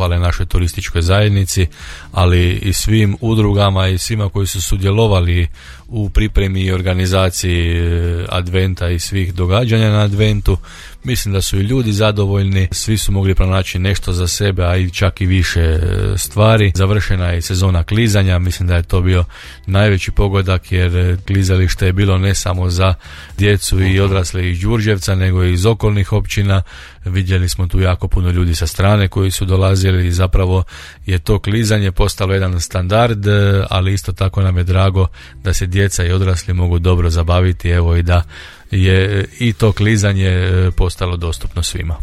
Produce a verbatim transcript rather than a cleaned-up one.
zahvale našoj turističkoj zajednici, ali i svim udrugama i svima koji su sudjelovali u pripremi i organizaciji adventa i svih događanja na adventu. Mislim da su i ljudi zadovoljni, svi su mogli pronaći nešto za sebe, a i čak i više stvari. Završena je sezona klizanja, mislim da je to bio najveći pogodak, jer klizalište je bilo ne samo za djecu i odrasle iz Đurđevca, nego i iz okolnih općina. Vidjeli smo tu jako puno ljudi sa strane koji su dolazili i zapravo je to klizanje postalo jedan standard, ali isto tako nam je drago da se djeca i odrasli mogu dobro zabaviti, evo i da je i to klizanje postalo dostupno svima.